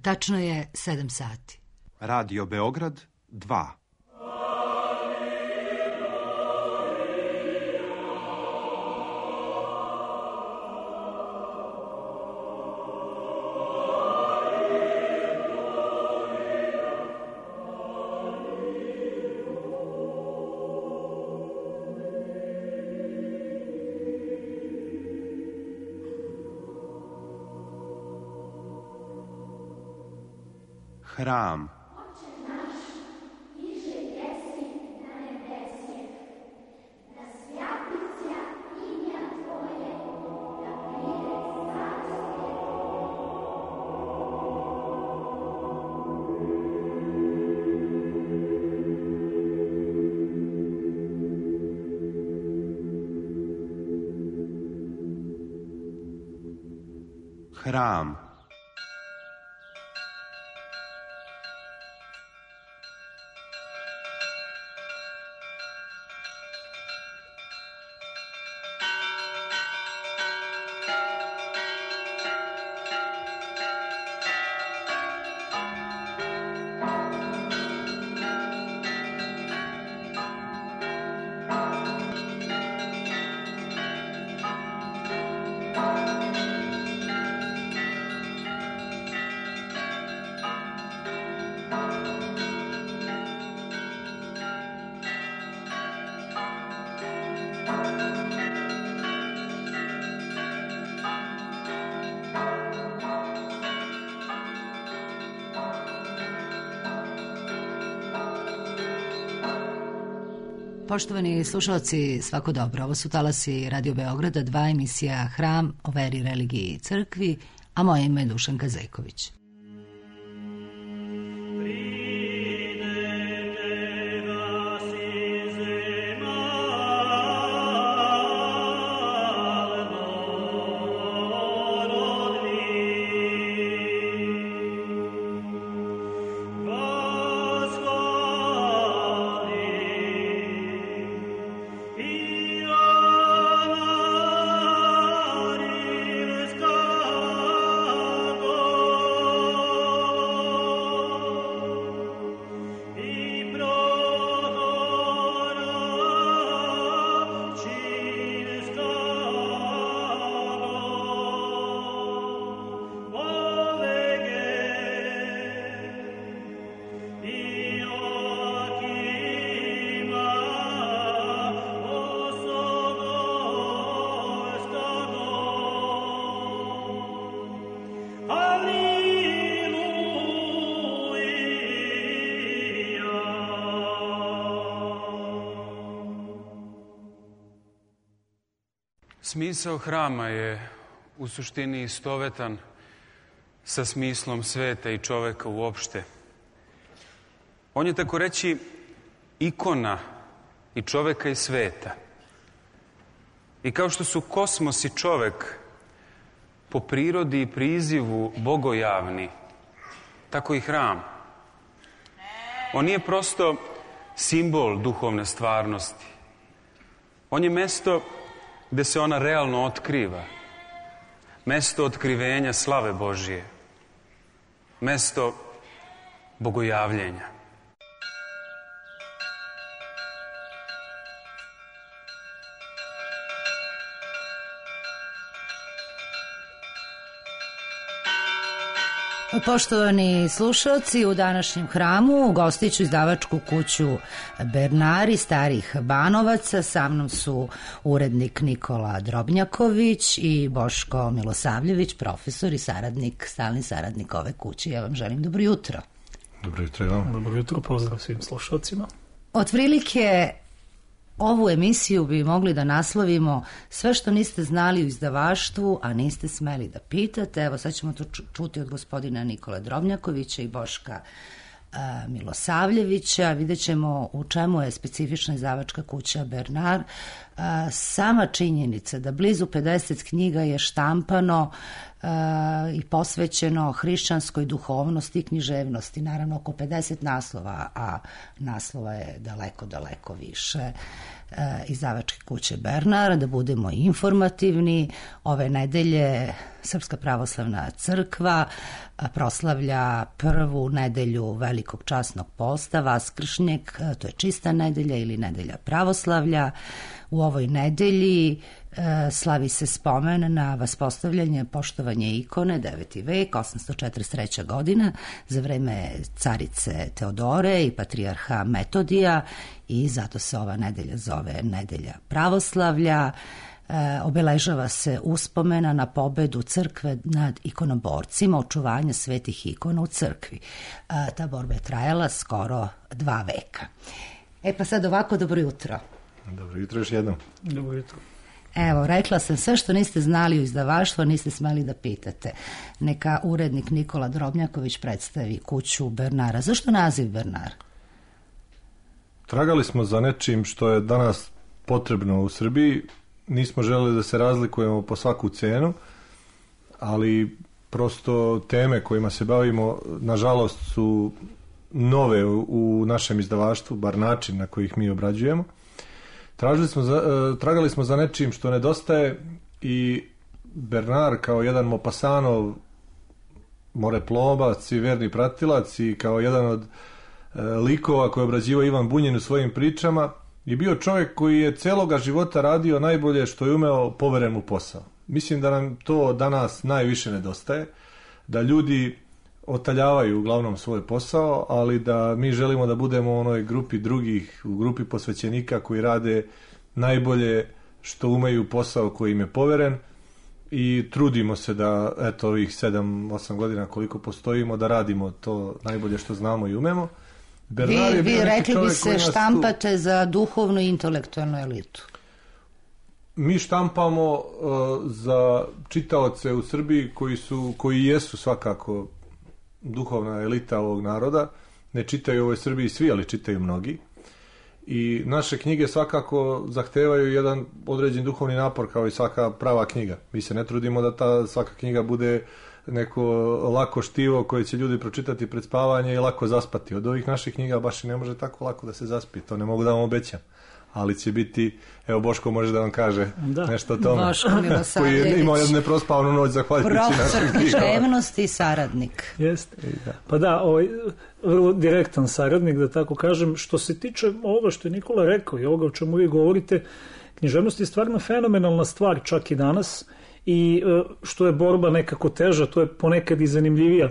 Tačno je 7 sati. Radio Beograd 2. Hram. Hram. Poštovani slušalci, svako dobro. Ovo su talasi Radio Beograda 2, emisija Hram o veri, religiji i crkvi, a moje ime je Dušanka Zejković. Smisao hrama je u suštini istovetan sa smislom sveta i čoveka uopšte. On je tako reći ikona i čoveka i sveta. I kao što su kosmos i čovek po prirodi i prizivu bogojavni, tako i hram. On nije prosto simbol duhovne stvarnosti. On je mesto gde se ona realno otkriva. Mesto otkrivenja slave Božije. Mesto bogojavljenja. Poštovani slušalci, u današnjem hramu gostit ću izdavačku kuću Bernari starih Banovaca. Sa mnom su urednik Nikola Drobnjaković i Boško Milosavljević, profesor i saradnik, stalni saradnik ove kuće. Ja vam želim dobro jutro. Dobro jutro i vam. Dobro jutro, pozdrav svim slušalcima. Otprilike ovu emisiju bi mogli da naslovimo sve što niste znali u izdavaštvu, a niste smeli da pitate. Evo sad ćemo to čuti od gospodina Nikole Drobnjakovića i Boška Milosavljevića. Vidjet ćemo u čemu je specifična izdavačka kuća Bernard. sama činjenica da blizu 50 knjiga je štampano i posvećeno hrišćanskoj duhovnosti i književnosti, naravno oko 50 naslova, a naslova je daleko više, izdavačke kuće Bernard. Da budemo informativni, ove nedelje Srpska pravoslavna crkva proslavlja prvu nedelju Velikog časnog posta, Vaskršnjeg, to je čista nedelja ili nedelja pravoslavlja. U ovoj nedelji slavi se spomen na vaspostavljanje, poštovanje ikone, 9. vek, 843. godina, za vreme carice Teodore i patrijarha Metodija, i zato se ova nedelja zove nedelja pravoslavlja. Obeležava se uspomena na pobedu crkve nad ikonoborcima, očuvanje svetih ikona u crkvi. Ta borba je trajala skoro 2 veka. Pa sad ovako, dobro jutro. Dobro jutro još jednom. Dobro jutro. Evo, rekla sam sve što niste znali u izdavaštvu, niste smeli da pitate. Neka urednik Nikola Drobnjaković predstavi kuću Bernara. Zašto naziv Bernard? Tragali smo za nečim što je danas potrebno u Srbiji. Nismo želeli da se razlikujemo po svaku cenu, ali prosto teme kojima se bavimo, nažalost, su nove u našem izdavaštvu, bar način na koji ih mi obrađujemo. Tragali smo za nečim što nedostaje i Bernard kao jedan Maupassantov moreplomac i verni pratilac i kao jedan od likova koje je obrađivao Ivan Bunjin u svojim pričama je bio čovjek koji je celoga života radio najbolje što je umeo, poveren mu posao. Mislim da nam to danas najviše nedostaje, da ljudi otaljavaju uglavnom svoj posao, ali da mi želimo da budemo u onoj grupi drugih, u grupi posvećenika koji rade najbolje što umeju, posao koji im je poveren, i trudimo se da, eto, ovih 7-8 godina koliko postojimo, da radimo to najbolje što znamo i umemo. Vi rekli bi se štampate za duhovnu i intelektualnu elitu. Mi štampamo za čitaoce u Srbiji koji jesu svakako duhovna elita ovog naroda. Ne čitaju u ovoj Srbiji svi, ali čitaju mnogi. I naše knjige svakako zahtevaju jedan određen duhovni napor, kao i svaka prava knjiga. Mi se ne trudimo da ta svaka knjiga bude neko lako štivo koje će ljudi pročitati pred spavanje i lako zaspati. Od ovih naših knjiga baš i ne može tako lako da se zaspi. To ne mogu da vam obećam. Ali će biti, evo, Boško može da vam kaže nešto o tome. Boško koji je imao jednu neprospavnu noć zahvaljujući našim knjigama. Profesor književnosti i saradnik. Jeste. Pa da, vrlo direktan saradnik, da tako kažem. Što se tiče ovoga što je Nikola rekao i ovoga o čemu vi govorite, književnost je stvarno fenomenalna stvar čak i danas, i što je borba nekako teža, to je ponekad i zanimljivija.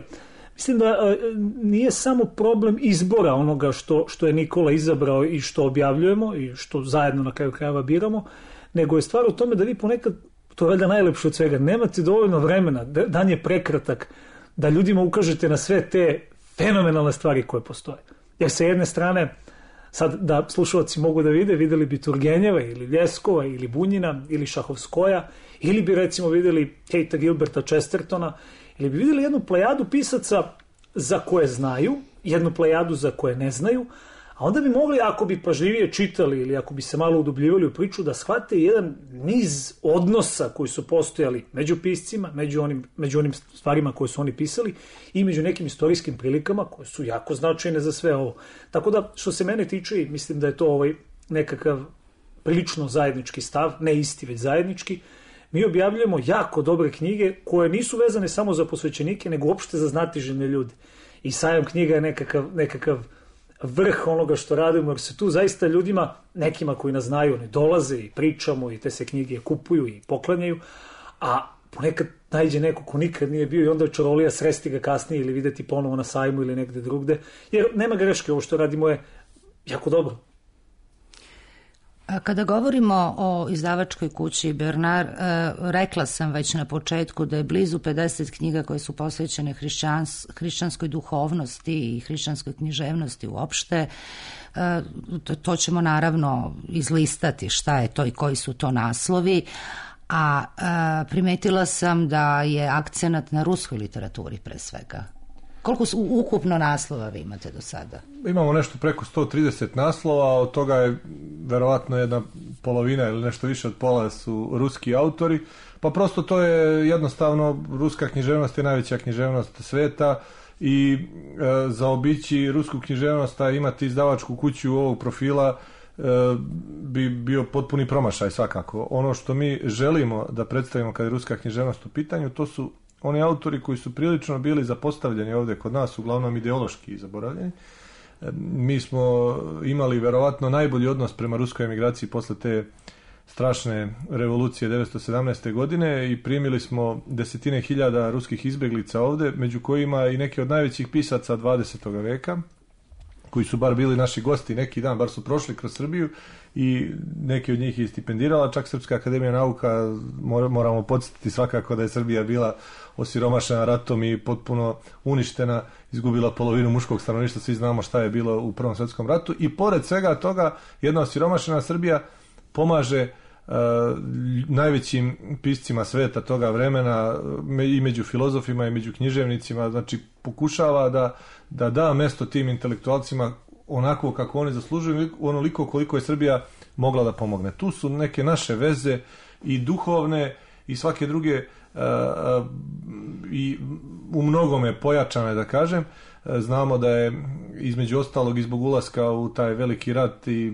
Mislim da nije samo problem izbora onoga što je Nikola izabrao i što objavljujemo i što zajedno na kraju krajeva biramo, nego je stvar u tome da vi ponekad, to je valjda najlepše od svega, nemate dovoljno vremena, dan je prekratak, da ljudima ukažete na sve te fenomenalne stvari koje postoje. Jer sa jedne strane, sad da slušalci mogu da videli bi Turgenjeva ili Ljeskova ili Bunjina ili Šahovskoja, ili bi recimo videli Katea Gilberta Chestertona, ili bi videli jednu plejadu pisaca za koje znaju, jednu plejadu za koje ne znaju, a onda bi mogli, ako bi pažljivije čitali ili ako bi se malo udubljivali u priču, da shvate jedan niz odnosa koji su postojali među piscima, među onim stvarima koje su oni pisali i među nekim istorijskim prilikama koje su jako značajne za sve ovo. Tako da, što se mene tiče, mislim da je to nekakav prilično zajednički stav, ne isti, već zajednički. Mi objavljujemo jako dobre knjige koje nisu vezane samo za posvećenike, nego uopšte za znatiželjne ljude. I Sajam knjiga je nekakav vrh onoga što radimo, jer se tu zaista ljudima, nekima koji nas znaju, ne dolaze i pričamo i te se knjige kupuju i poklanjaju, a ponekad najde neko ko nikad nije bio i onda je čarolija sresti ga kasnije ili videti ponovo na sajmu ili negde drugde, jer nema greške, ovo što radimo je jako dobro. Kada govorimo o izdavačkoj kući Bernard, rekla sam već na početku da je blizu 50 knjiga koje su posvećene hrišćanskoj duhovnosti i hrišćanskoj književnosti uopšte. To ćemo naravno izlistati šta je to i koji su to naslovi, a primetila sam da je akcenat na ruskoj literaturi pre svega. Koliko ukupno naslova vi imate do sada? Imamo nešto preko 130 naslova, od toga je verovatno jedna polovina ili nešto više od pola su ruski autori, pa prosto to je jednostavno, ruska književnost je najveća književnost sveta i zaobići rusku književnost, a imati izdavačku kuću ovog profila bi bio potpuni promašaj svakako. Ono što mi želimo da predstavimo kad je ruska književnost u pitanju, to su oni autori koji su prilično bili zapostavljeni ovdje kod nas, uglavnom ideološki zaboravljeni. Mi smo imali verovatno najbolji odnos prema ruskoj emigraciji posle te strašne revolucije 1917. godine i primili smo desetine hiljada ruskih izbjeglica ovdje, među kojima i neki od najvećih pisaca 20. veka, koji su bar bili naši gosti neki dan, bar su prošli kroz Srbiju i neki od njih je stipendirala, čak Srpska akademija nauka, moramo podsjetiti svakako da je Srbija bila osiromašena ratom i potpuno uništena, izgubila polovinu muškog stanovništva, svi znamo šta je bilo u Prvom svjetskom ratu i pored svega toga jedna osiromašena Srbija pomaže najvećim piscima sveta toga vremena i među filozofima i među književnicima, znači pokušava da mesto tim intelektualcima onako kako oni zaslužuju, onoliko koliko je Srbija mogla da pomogne. Tu su neke naše veze i duhovne i svake druge i u mnogome pojačane, da kažem. Znamo da je između ostalog i zbog ulaska u taj veliki rat i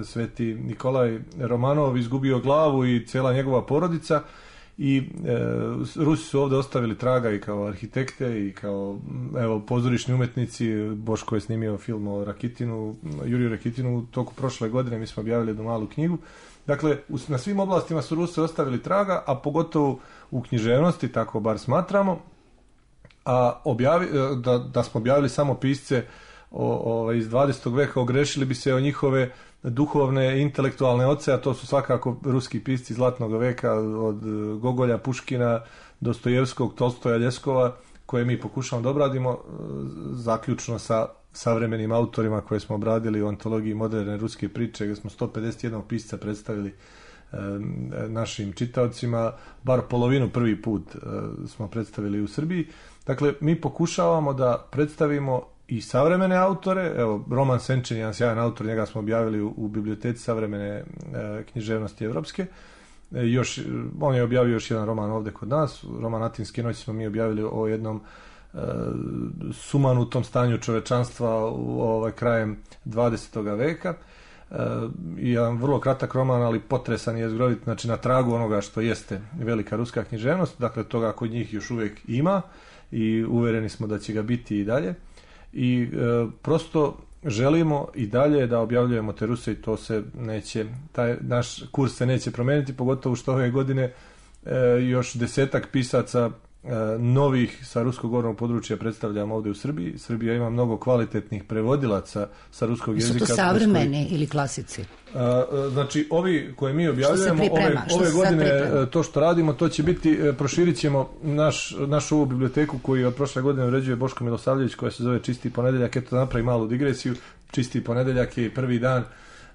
sveti Nikolaj Romanov izgubio glavu i cijela njegova porodica i Rusi su ovdje ostavili traga i kao arhitekte i kao pozorišni umetnici. Boško je snimio film o Rakitinu, Juriju Rakitinu u toku prošle godine, mi smo objavili jednu malu knjigu. Dakle, na svim oblastima su Rusi ostavili traga, a pogotovo u književnosti, tako bar smatramo. A da smo objavili samo pisce iz 20. veka, ogrešili bi se o njihove duhovne, intelektualne oce, a to su svakako ruski pisci zlatnog veka od Gogolja, Puškina, Dostojevskog, Tolstoja, Ljeskova, koje mi pokušamo da obradimo zaključno sa savremenim autorima koje smo obradili u antologiji moderne ruske priče, gdje smo 151 pisca predstavili našim čitaocima, bar polovinu prvi put smo predstavili u Srbiji. Dakle, mi pokušavamo da predstavimo i savremene autore. Evo, Roman Senčin, jedan sjajan autor, njega smo objavili u biblioteci savremene književnosti evropske. On je objavio još jedan roman ovdje kod nas, roman Atinske noći smo mi objavili o jednom sumanutom stanju čovečanstva krajem 20. veka. Jedan vrlo kratak roman, ali potresan i jezgrovit, znači na tragu onoga što jeste velika ruska književnost, dakle toga kod njih još uvijek ima i uvereni smo da će ga biti i dalje i prosto želimo i dalje da objavljujemo te Ruse i to se neće, taj naš kurs se neće promijeniti, pogotovo što ove godine još 10 pisaca novih sa ruskog govornog područja predstavljamo ovdje u Srbiji. Srbija ima mnogo kvalitetnih prevodilaca sa ruskog jezika. Su to savremeni ili klasici? Znači, ovi koje mi objavljujemo ove godine, to što radimo, to će biti, proširit ćemo našu ovu biblioteku koju od prošle godine uređuje Boško Milosavljević, koja se zove Čisti ponedeljak. Eto, da napravi malu digresiju. Čisti ponedeljak je prvi dan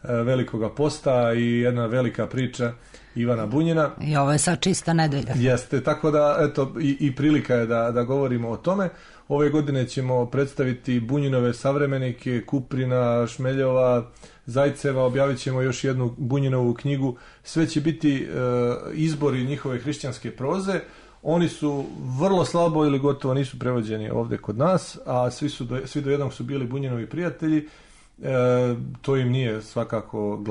velikoga posta i jedna velika priča Ivana Bunjina. I ovo je sad čista nedelja. Jeste, tako da eto i prilika je da govorimo o tome. Ove godine ćemo predstaviti Bunjinove savremenike, Kuprina, Šmeljova, Zajceva, objavit ćemo još jednu Bunjinovu knjigu. Sve će biti izbori njihove hrišćanske proze. Oni su vrlo slabo ili gotovo nisu prevođeni ovdje kod nas, a svi do jednog su bili Bunjinovi prijatelji. To im nije svakako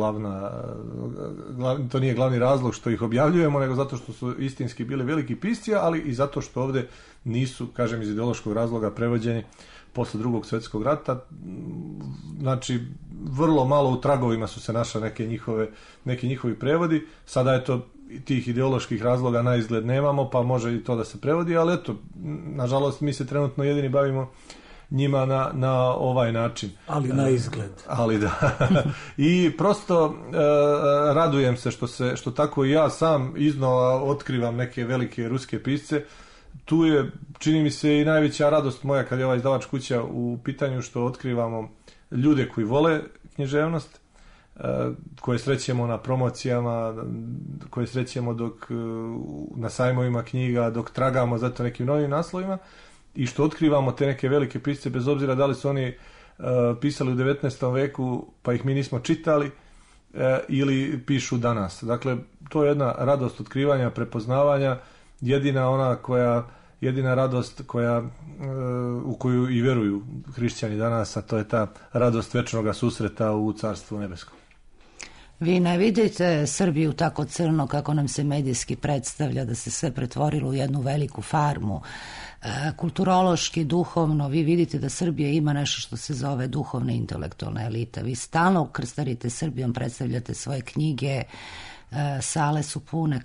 to nije glavni razlog što ih objavljujemo, nego zato što su istinski bili veliki pisci, ali i zato što ovdje nisu, kažem, iz ideološkog razloga prevođeni posle Drugog svjetskog rata. Znači, vrlo malo u tragovima su se našli neki njihovi prevodi. Sada je to tih ideoloških razloga na izgled nemamo, pa može i to da se prevodi, ali eto, nažalost mi se trenutno jedini bavimo njima na ovaj način. Ali na izgled. Ali da. I prosto radujem se što tako i ja sam iznova otkrivam neke velike ruske pisce. Tu je, čini mi se, i najveća radost moja kad je ova izdavač kuća u pitanju, što otkrivamo ljude koji vole književnost, koje srećemo na promocijama, koje srećemo dok na sajmovima knjiga, dok tragamo za to nekim novim naslovima. i što otkrivamo te neke velike pisce, bez obzira da li su oni pisali u 19. veku pa ih mi nismo čitali ili pišu danas. Dakle, to je jedna radost otkrivanja, prepoznavanja, jedina radost u koju i vjeruju hrišćani danas, a to je ta radost večnoga susreta u Carstvu nebeskom. Vi ne vidite Srbiju tako crno kako nam se medijski predstavlja, da se sve pretvorilo u jednu veliku farmu. Kulturološki, duhovno, vi vidite da Srbija ima nešto što se zove duhovna intelektualna elita. Vi stalno krstarite Srbijom, predstavljate svoje knjige, sale su pune.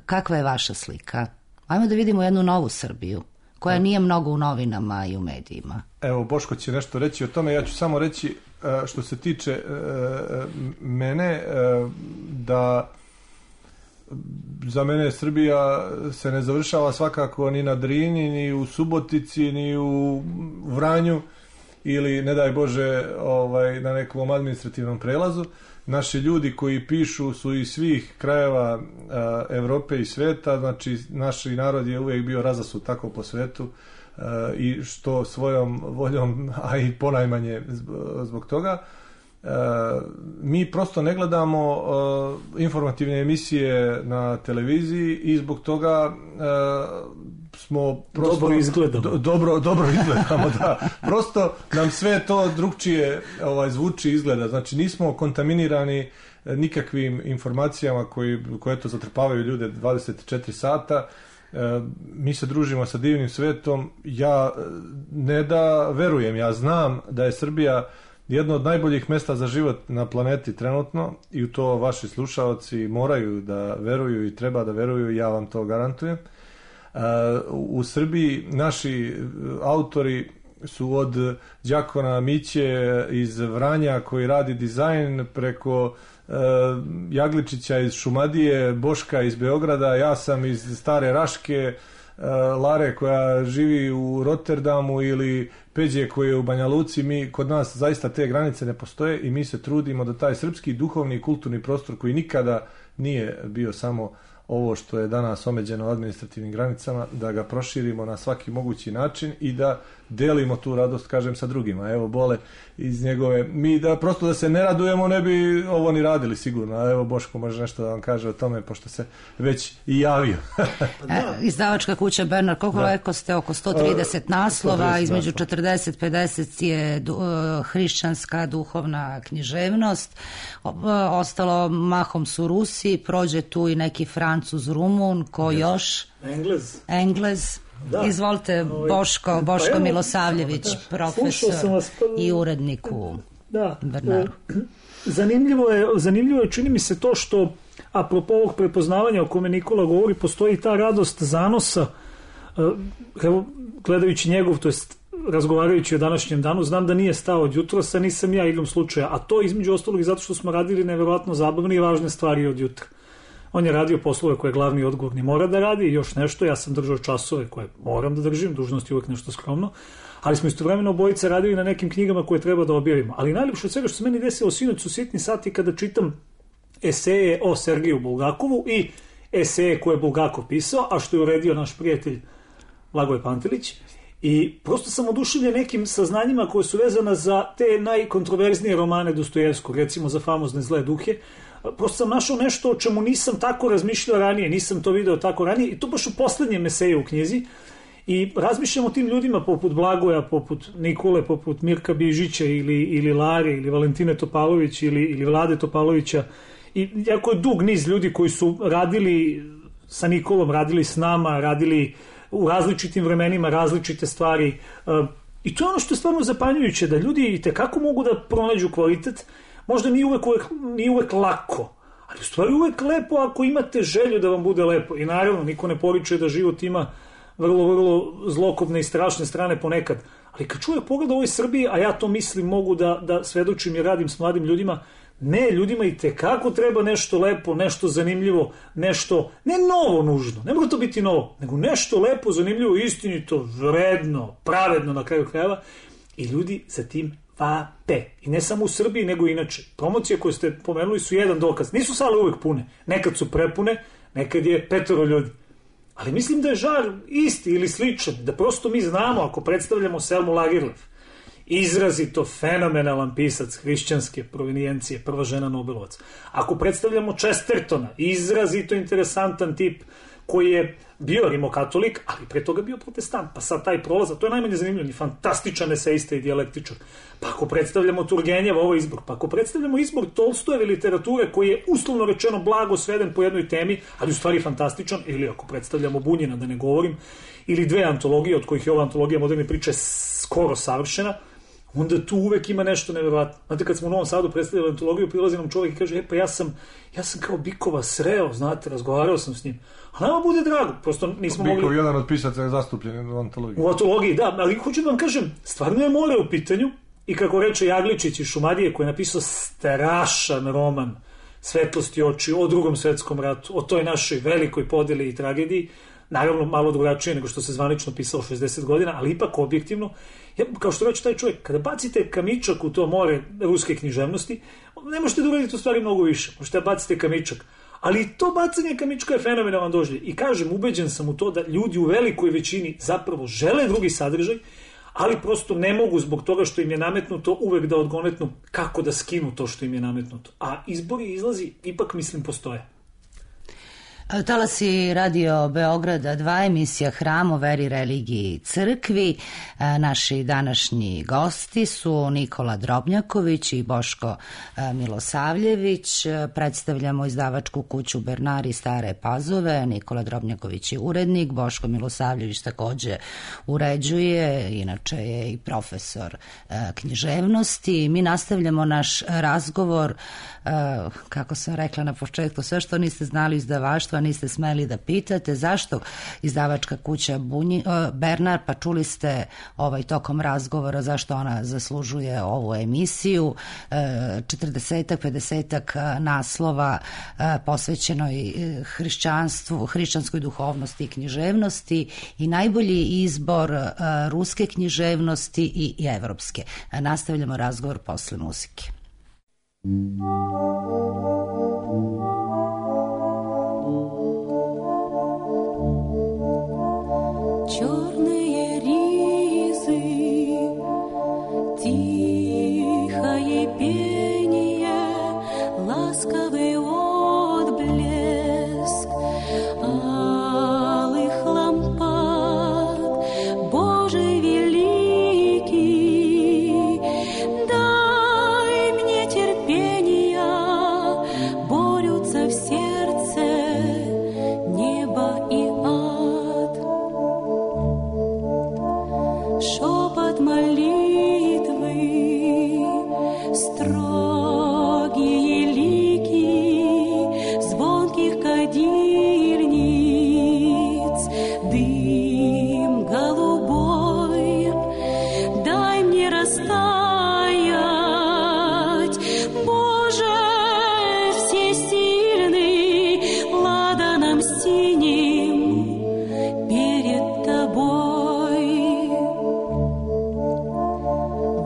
Kakva je vaša slika? Ajmo da vidimo jednu novu Srbiju, koja nije mnogo u novinama i u medijima. Evo, Boško će nešto reći o tome, ja ću samo reći što se tiče mene, da za mene Srbija se ne završava svakako ni na Drini, ni u Subotici, ni u Vranju ili, ne daj Bože, na nekom administrativnom prelazu. Naši ljudi koji pišu su iz svih krajeva Evrope i sveta, znači naš narod je uvijek bio razasut tako po svetu i što svojom voljom, a i ponajmanje zbog toga. Mi prosto ne gledamo informativne emisije na televiziji i zbog toga smo prosto dobro izgledamo, da. Prosto nam sve to drugčije zvuči, izgleda. Znači nismo kontaminirani nikakvim informacijama koje to zatrpavaju ljude 24 sata. Mi se družimo sa divnim svetom. Ja ne da verujem, ja znam da je Srbija jedno od najboljih mesta za život na planeti trenutno i u to vaši slušaoci moraju da veruju i treba da veruju i ja vam to garantujem. U Srbiji naši autori su od đakona Miće iz Vranja koji radi dizajn, preko Jagličića iz Šumadije, Boška iz Beograda, ja sam iz Stare Raške, Lare koja živi u Rotterdamu ili Peđe koji je u Banja Luci. Kod nas zaista te granice ne postoje i mi se trudimo da taj srpski duhovni i kulturni prostor koji nikada nije bio samo ovo što je danas omeđeno administrativnim granicama, da ga proširimo na svaki mogući način i da delimo tu radost, kažem, sa drugima. Evo, Bole iz njegove... Mi prosto da se ne radujemo, ne bi ovo ni radili sigurno. A evo, Boško može nešto da vam kaže o tome, pošto se već i javio. Izdavačka kuća Bernard, koliko rekao ste, oko 130 naslova, između 40-50 je hrišćanska duhovna književnost. Ostalo mahom su Rusi, prođe tu i neki Francuz, Rumun, ko još? Englez. Da. Izvolite, Boško Milosavljević, profesor i urednik u Bernaru. Zanimljivo je, čini mi se to što, apropo ovog prepoznavanja o kome Nikola govori, postoji ta radost zanosa. Evo, gledajući njegov, to jest razgovarajući o današnjem danu, znam da nije stao od jutrosa, nisam ja igrom slučaja, a to između ostalog i zato što smo radili neverovatno zabavne i važne stvari od jutra. On je radio poslove koje glavni odgovorni mora da radi i još nešto, ja sam držao časove koje moram da držim, dužnost je uvek nešto skromno, ali smo istovremeno obojice radili na nekim knjigama koje treba da objavimo. Ali najljepše od svega što se meni desilo sinoć su sitni sati kada čitam eseje o Sergeju Bulgakovu i eseje koje je Bulgakov pisao, a što je uredio naš prijatelj Blagoje Pantelić. I prosto sam oduševljen nekim saznanjima koje su vezana za te najkontroverznije romane Dostojevskog, recimo za famozne Zle duhe. Prosto sam našao nešto o čemu nisam tako razmišljao ranije, nisam to video tako ranije i to baš u poslednjem eseju u knjizi. I razmišljam o tim ljudima poput Blagoja, poput Nikole, poput Mirka Bižića ili Lare ili Valentine Topalović ili Vlade Topalovića. I jako je dug niz ljudi koji su radili sa Nikolom, radili s nama, radili u različitim vremenima različite stvari. I to je ono što je stvarno zapanjujuće, da ljudi i tekako mogu da pronađu kvalitet. Možda nije uvek lako, ali u stvari uvek lepo ako imate želju da vam bude lepo. I naravno, niko ne poriče da život ima vrlo, vrlo zlokobne i strašne strane ponekad. Ali kad čuje pogled o ovoj Srbiji, a ja to mislim, mogu da svedočim i radim s mladim ljudima, ne, ljudima i tekako treba nešto lepo, nešto zanimljivo, nešto, ne novo nužno, ne mora to biti novo, nego nešto lepo, zanimljivo, istinito, vredno, pravedno na kraju krajeva. I ljudi za tim vape. I ne samo u Srbiji, nego inače. Promocije koje ste pomenuli su jedan dokaz. Nisu sale uvek pune. Nekad su prepune, nekad je 5 ljudi. Ali mislim da je žar isti ili sličan, da prosto mi znamo, ako predstavljamo Selmu Lagerlöf, izrazito fenomenalan pisac hrišćanske provenijencije, prva žena Nobelovac. Ako predstavljamo Chestertona, izrazito interesantan tip koji je bio rimokatolik, ali pre toga bio protestant, pa sad taj prolaz, to je najmanje zanimljivo, ni fantastičan eseista i dijalektičar. Pa ako predstavljamo Turgenjeva, ovo izbor, pa ako predstavljamo izbor Tolstojeve literature koji je uslovno rečeno blago sveden po jednoj temi, ali u stvari fantastičan, ili ako predstavljamo Bunjina, da ne govorim, ili dve antologije, od kojih je ova antologija moderne priče skoro savršena, onda tu uvek ima nešto nevjerovatno. Znate, kad smo u Novom Sadu predstavljali antologiju, prilazi nam čovjek i kaže, pa ja sam kao Bikova sreo, znate, razgovarao sam s njim. A nama bude drago, prosto nismo mogli... Bikov je jedan od pisaca je zastupljen u antologiji. U antologiji, da, ali hoću da vam kažem, stvarno je more u pitanju i kako reče Jagličić iz Šumadije, koji je napisao strašan roman Svetlosti oči o Drugom svetskom ratu, o toj našoj velikoj podeli i tragediji, naravno malo drugačije nego što se zvanično pisalo 60 godina, ali ipak objektivno. Kao što reče taj čovjek, kada bacite kamičak u to more ruske književnosti, ne možete da uraditi u stvari mnogo više, možete da bacite kamičak. Ali to bacanje kamička je fenomenalan doživljaj. I kažem, ubeđen sam u to da ljudi u velikoj većini zapravo žele drugi sadržaj, ali prosto ne mogu zbog toga što im je nametnuto uvek da odgonetnu kako da skinu to što im je nametnuto. A izbori izlazi, ipak mislim, postoje. Talasi Radio Beograda 2, emisija Hram o veri, religiji i crkvi. Naši današnji gosti su Nikola Drobnjaković i Boško Milosavljević. Predstavljamo izdavačku kuću Bernari Stare Pazove. Nikola Drobnjaković je urednik, Boško Milosavljević takođe uređuje, inače je i profesor književnosti. Mi nastavljamo naš razgovor, kako sam rekla na početku, sve što niste znali izdavaštva, niste smeli da pitate zašto izdavačka kuća Bernar, pa čuli ste tokom razgovora zašto ona zaslužuje ovu emisiju, 40-ak, 50-ak naslova posvećenoj hrišćanstvu, hrišćanskoj duhovnosti i književnosti i najbolji izbor ruske književnosti i evropske. Nastavljamo razgovor posle muzike. Черные ризы, тихое пение, ласковый отблеск алых лампад, Божий великий, дай мне терпения, борются в сердце небо и ад. Шепот молитвы, строгие лики звонких кадильниц, дым голубой, дай мне растаять, Боже всесильный, ладаном синим перед Тобой.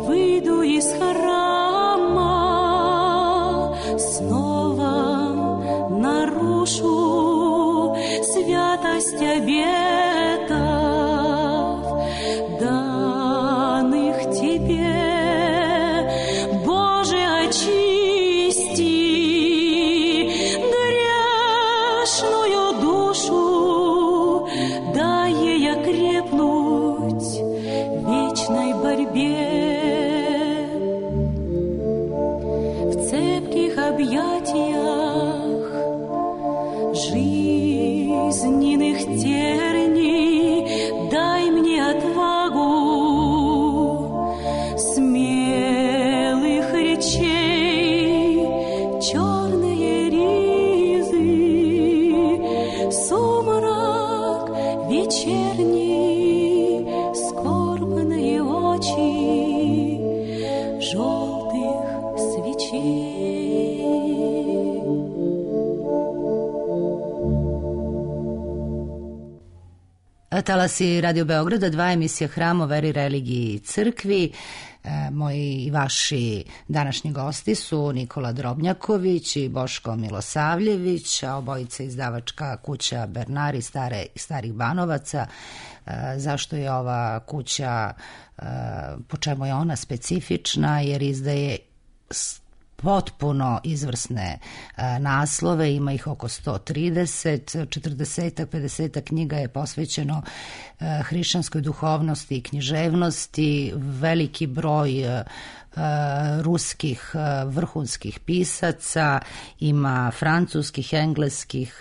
Выйду из храма, снова нарушу святость обетов, данных Тебе. Боже, очисти грешную душу, дай ей окрепнуть в вечной борьбе. В цепких объятиях жизненных терний дай мне отвагу смелых речей, черные ризы, сумрак вечерний, скорбные очи желтых свечей. Talasi Radio Beograda, 2 emisija Hram o veri, religiji i crkvi. Moji i vaši današnji gosti su Nikola Drobnjaković i Boško Milosavljević, a obojica izdavačka kuća Bernari starih Banovaca. Zašto je ova kuća, po čemu je ona specifična? Jer izdaje potpuno izvrsne naslove, ima ih oko 130, 40, 50 knjiga je posvećeno hrišćanskoj duhovnosti i književnosti, veliki broj ruskih vrhunskih pisaca, ima francuskih, engleskih,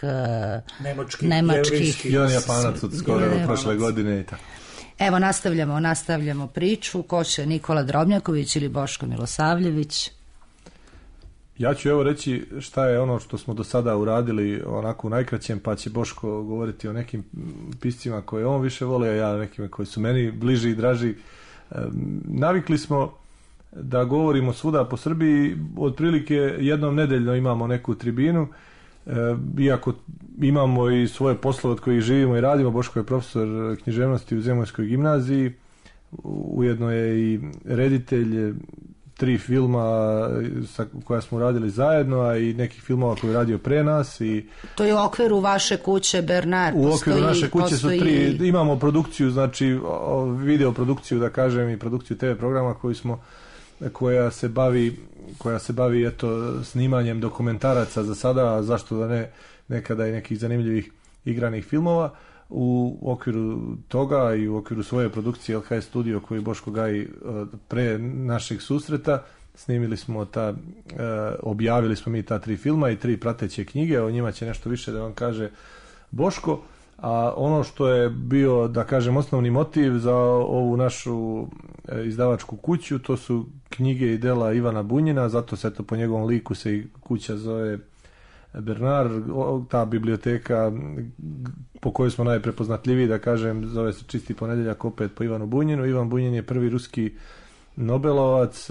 nemačkih, jedan Japanac od skoro prošle godine i tako. Evo, nastavljamo priču. Ko će, Nikola Drobnjaković ili Boško Milosavljević? Ja ću evo reći šta je ono što smo do sada uradili onako u najkraćem, pa će Boško govoriti o nekim piscima koje on više voli, a ja nekim koji su meni bliži i draži. Navikli smo da govorimo svuda po Srbiji, otprilike jednom nedeljno imamo neku tribinu, iako imamo i svoje poslove od kojih živimo i radimo. Boško je profesor književnosti u Zemunskoj gimnaziji, ujedno je i reditelj 3 filma koja smo radili zajedno, a i nekih filmova koje je radio pre nas. To je u okviru vaše kuće Bernar. U okviru naše kuće su 3, imamo produkciju, znači video produkciju, da kažem, i produkciju TV programa koja se bavi eto snimanjem dokumentaraca za sada, a zašto da ne nekada i nekih zanimljivih igranih filmova. U okviru toga i u okviru svoje produkcije LH Studio koji Boško gaji pre našeg susreta, snimili smo objavili smo mi ta 3 filma i 3 prateće knjige, o njima će nešto više da vam kaže Boško. A ono što je bio, da kažem, osnovni motiv za ovu našu izdavačku kuću, to su knjige i dela Ivana Bunjina, zato se po njegovom liku se i kuća zove Bernar. Ta biblioteka po kojoj smo najprepoznatljiviji, da kažem, zove se Čisti ponedjeljak, opet po Ivanu Bunjinu. Ivan Bunjin je prvi ruski Nobelovac,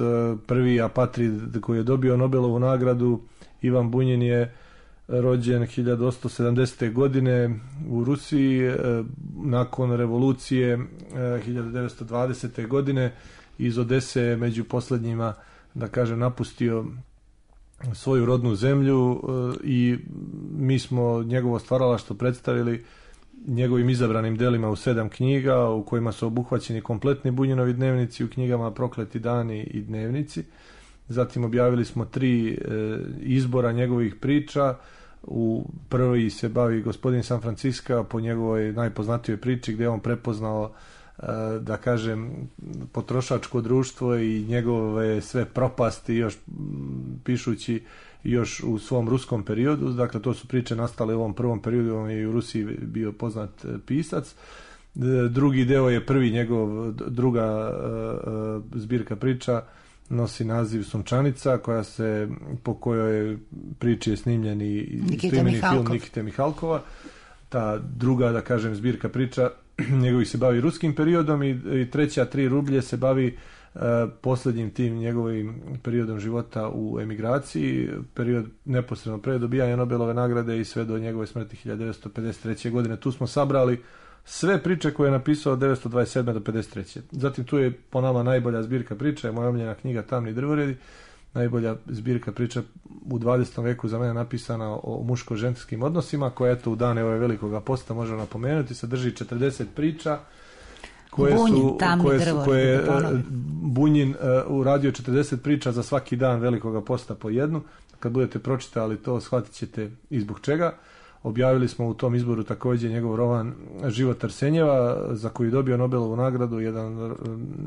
prvi apatrid koji je dobio Nobelovu nagradu. Ivan Bunjin je rođen 1870. godine u Rusiji, nakon revolucije 1920. godine iz Odese među posljednjima, da kažem, napustio svoju rodnu zemlju i mi smo njegovo stvaralaštvo predstavili njegovim izabranim delima u 7 knjiga u kojima su obuhvaćeni kompletni Bunjinovi dnevnici, u knjigama Prokleti dani i dnevnici. Zatim objavili smo 3 izbora njegovih priča. U prvi se bavi Gospodin San Francisco po njegovoj najpoznatijoj priči gdje je on prepoznao, da kažem, potrošačko društvo i njegove sve propasti još pišući još u svom ruskom periodu. Dakle, to su priče nastale u ovom prvom periodu, on je i u Rusiji bio poznat pisac. Drugi deo je druga zbirka priča, nosi naziv Sunčanica, po kojoj priči je snimljen i snimljeni film Nikite Mihalkova. Ta druga, da kažem, zbirka priča njegovih se bavi ruskim periodom i treća 3 rublje se bavi posljednjim tim njegovim periodom života u emigraciji, period neposredno pre dobijanja Nobelove nagrade i sve do njegove smrti 1953. godine. Tu smo sabrali sve priče koje je napisao od 1927. do 1953. Zatim tu je po nama najbolja zbirka priča, je moja omiljena knjiga Tamni drvoredi, najbolja zbirka priča u 20. veku za mene napisana o muško-ženskim odnosima, koja eto u dane ove velikoga posta možemo napomenuti, sadrži 40 priča koje je Bunjin uradio 40 priča za svaki dan velikoga posta po jednu. Kad budete pročitali to, shvatit ćete i zbog čega. Objavili smo u tom izboru također njegov roman Život Arsenjeva, za koji je dobio Nobelovu nagradu, jedan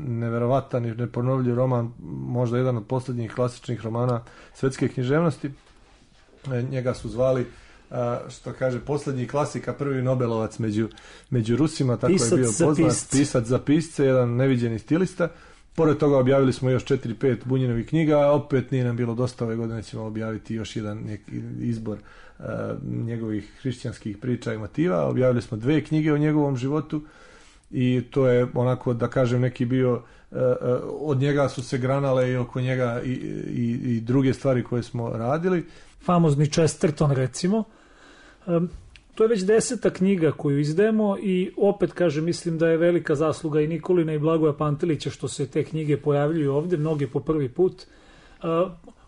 neverovatan i neponovljiv roman, možda jedan od posljednjih klasičnih romana svetske književnosti. Njega su zvali, što kaže, posljednji klasika, prvi Nobelovac među Rusima, tako je bio poznat, pisac za pisce, jedan neviđeni stilista. Pored toga objavili smo još 4-5 Bunjinovih knjiga, a opet nije nam bilo dosta, ove godine ćemo objaviti još jedan izbor njegovih hrišćanskih priča i motiva. Objavili smo 2 knjige o njegovom životu i to je onako, da kažem, neki bio, od njega su se granale i oko njega i druge stvari koje smo radili. Famozni Chesterton, recimo. To je već 10. knjiga koju izdajemo i opet kažem, mislim da je velika zasluga i Nikolina i Blagoja Pantelića što se te knjige pojavljuju ovde, mnoge po prvi put.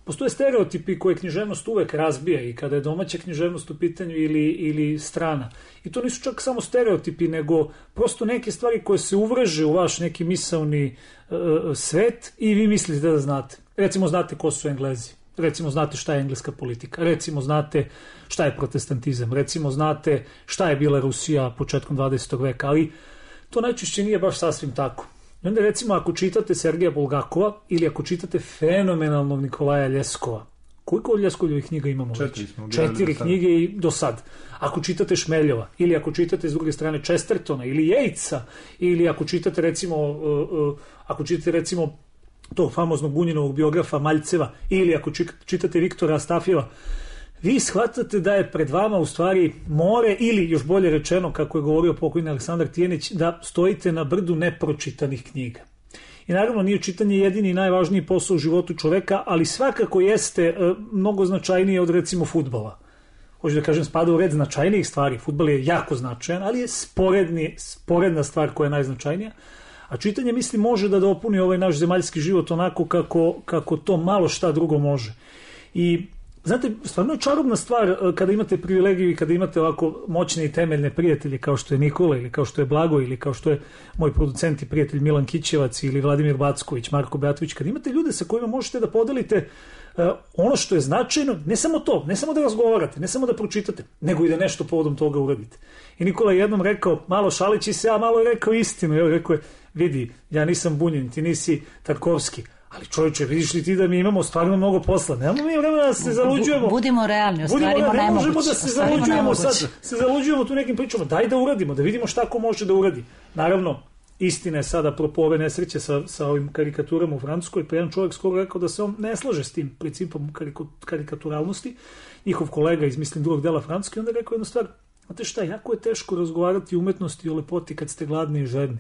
Postoje stereotipi koje književnost uvek razbija i kada je domaća književnost u pitanju ili strana. I to nisu čak samo stereotipi, nego prosto neke stvari koje se uvreže u vaš neki misaoni svet i vi mislite da znate. Recimo znate ko su Englezi, recimo znate šta je engleska politika, recimo znate šta je protestantizam, recimo znate šta je bila Rusija početkom 20. veka, ali to najčešće nije baš sasvim tako. I onda recimo ako čitate Sergeja Bulgakova ili ako čitate fenomenalnog Nikolaja Ljeskova, koliko od Ljeskovljevih knjiga imamo? 4 knjige i do sad. Ako čitate Šmeljova ili ako čitate s druge strane Chestertona ili Yatesa ili ako čitate recimo tog famoznog Bunjinovog biografa Maljceva ili ako čitate Viktora Astafjeva, vi shvatate da je pred vama u stvari more ili još bolje rečeno, kako je govorio pokojni Aleksandar Tijenić, da stojite na brdu nepročitanih knjiga. I naravno nije čitanje jedini i najvažniji posao u životu čoveka, ali svakako jeste mnogo značajnije od recimo fudbala. Hoću da kažem, spada u red značajnijih stvari. Fudbal je jako značajan, ali je sporedna stvar koja je najznačajnija. A čitanje, mislim, može da dopuni ovaj naš zemaljski život onako kako to malo šta drugo može. I znate, stvarno je čarobna stvar kada imate privilegiju i kada imate ovako moćne i temeljne prijatelje kao što je Nikola ili kao što je Blago ili kao što je moj producent i prijatelj Milan Kićevac ili Vladimir Backović, Marko Beatović, kada imate ljude sa kojima možete da podelite ono što je značajno, ne samo to, ne samo da razgovarate, ne samo da pročitate, nego i da nešto povodom toga uradite. I Nikola je jednom rekao, malo šalići se, a malo je rekao istinu. Ja rekao je, vidi, ja nisam Bunjin, ti nisi Tarkovski, ali čovječe, vidiš li ti da mi imamo stvarno mnogo posla? Nemamo mi vremena da se zaluđujemo. Budimo realni, ostvarimo ne nemoguće. Možemo da se zaluđujemo sad, se zaluđujemo tu nekim pričama. Daj da uradimo, da vidimo šta ko može da uradi. Naravno, istina je sada apropo ove nesreće sa ovim karikaturama u Francuskoj, pa jedan čovjek skoro rekao da se on ne slaže s tim principom karikaturalnosti, njihov kolega iz, mislim, drugog dela Francuske, onda rekao jednu stvar, znate šta, jako je teško razgovarati o umetnosti i o lepoti kad ste gladni i žedni.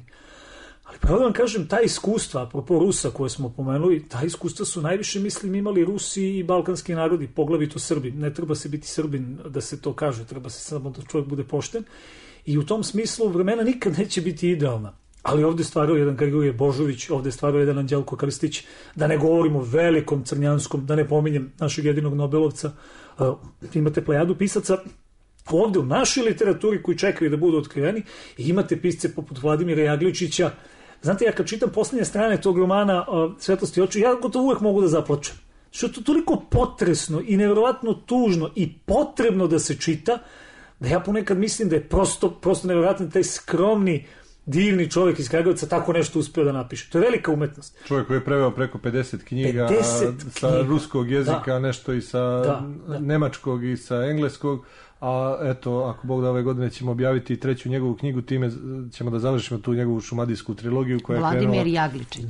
Ali pravo da vam kažem, ta iskustva, apropo Rusa koje smo pomenuli, ta iskustva su najviše, mislim, imali Rusi i balkanski narodi, poglavito Srbi. Ne treba se biti Srbin da se to kaže, treba se samo da čovjek bude pošten. I u tom smislu vremena nikad neće biti idealna. Ali ovdje stvarao jedan Grigorije Božović, ovdje stvarao jedan Anđelko Krstić, da ne govorimo o velikom Crnjanskom, da ne pominjem našeg jedinog Nobelovca. Imate plejadu pisaca ovdje u našoj literaturi koji čekaju da budu otkriveni i imate pisce poput Vladimira Jagličića. Znate, ja kad čitam posljednje strane tog romana Svetlosti očiju, ja gotovo uvek mogu da zaplačem. Što je to toliko potresno i nevjerovatno tužno i potrebno da se čita, da ja ponekad mislim da je prosto nevjerovatno taj skromni, divni čovjek iz Kragujevca tako nešto uspio da napiše. To je velika umetnost. Čovjek koji je preveo preko 50 knjiga, sa ruskog jezika, nešto i sa nemačkog i sa engleskog. A eto, ako Bog da ove godine ćemo objaviti treću njegovu knjigu, time ćemo da završimo tu njegovu šumadijsku trilogiju koja je Vladimir Jagličić.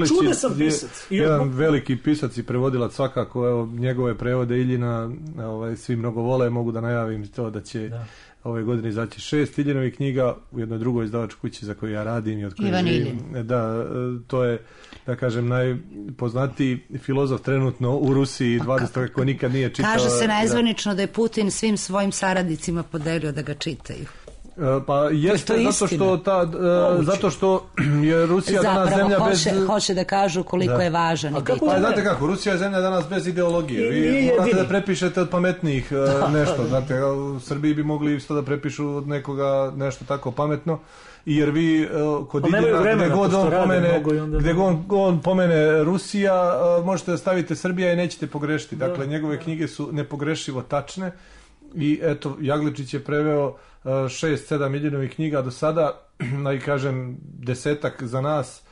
Čudesan pisac. Jedan veliki pisac i prevodilac svakako, evo, njegove prevode Iljina, svi mnogo vole, mogu da najavim to da će ove godine izaći 6 Iljinovih knjiga u jednoj drugoj izdavačkoj kući za koju ja radim i od koje živim. Da, to je, da kažem, najpoznatiji filozof trenutno u Rusiji 20. ko nikad nije čitao. Kaže se najzvanično da je Putin svim svojim saradnicima podelio da ga čitaju. Pa jeste, zato što je Rusija danas zemlja bez... hoće da kažu koliko je važan. Pa znate kako, Rusija je zemlja danas bez ideologije. Vi morate da prepišete od pametnijih nešto. Znate, u Srbiji bi mogli isto da prepišu od nekoga nešto tako pametno. Jer vi kod gdje on pomene Rusija, možete da stavite Srbija i nećete pogrešiti. Dakle, njegove knjige su nepogrešivo tačne. I eto, Jagličić je preveo 6-7 Iljinovih knjiga do sada, i kažem 10 za nas,